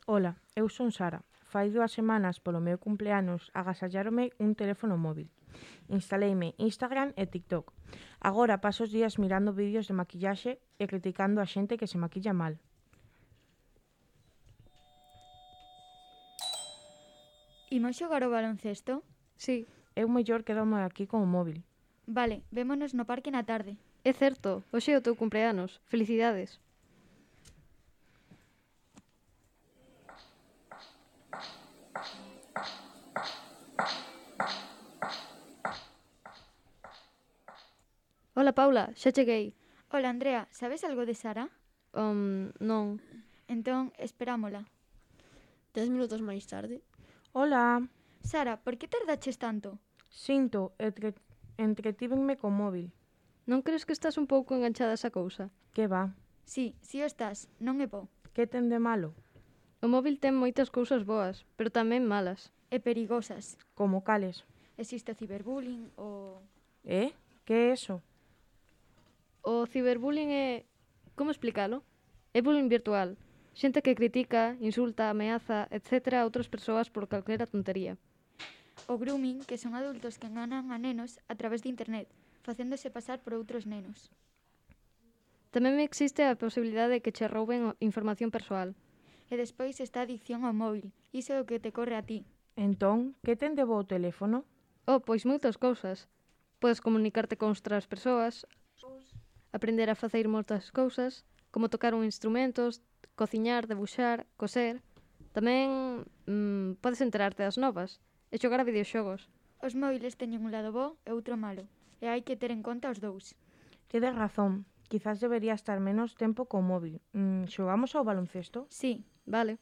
Ola, eu son Sara. Fai 2 semanas polo meu cumpleanos agasalláronme un teléfono móvil. Instaleime Instagram e TikTok. Agora paso os días mirando vídeos de maquillaxe e criticando a xente que se maquilla mal. Imos xogar o baloncesto? Sí, Eu mellor quedome aquí con o móvil. Vale, vémonos no parque na tarde. é certo, hoxe é o teu cumpleanos. Felicidades. Ola, Paula, xa cheguei. Ola, Andrea, sabes algo de Sara? Non. Entón, esperámola. 10 minutos máis tarde. Ola! Sara, por que tardaches tanto? Sinto, entretívenme co móvil. Non crees que estás un pouco enganchada a esa cousa? Que va? Si o estás, non é bo. Que ten de malo? O móvil ten moitas cousas boas, pero tamén malas. E perigosas. Como cales? Existe o ciberbullying, Que é eso? O ciberbullying é... Como explicalo? É bullying virtual. Xente que critica, insulta, ameaza, etc. a outras persoas por calquera tontería. O grooming, que son adultos que enganan a nenos a través de internet, facéndose pasar por outros nenos. Tamén existe a posibilidade de que che rouben información persoal. E despois está a adicción ao móvil. Iso é o que te corre a ti. Entón, que ten de bo o teléfono? Pois moitas cousas. Podes comunicarte con outras persoas, aprender a facer moitas cousas, como tocar un instrumento, cociñar, debuxar, coser. Tamén podes enterarte das novas e xogar a videoxogos. Os móviles teñen un lado bo e outro malo, e hai que ter en conta os dous. Tedes razón. Quizás debería estar menos tempo co móvil. Xogamos ao baloncesto? Sí, Vale.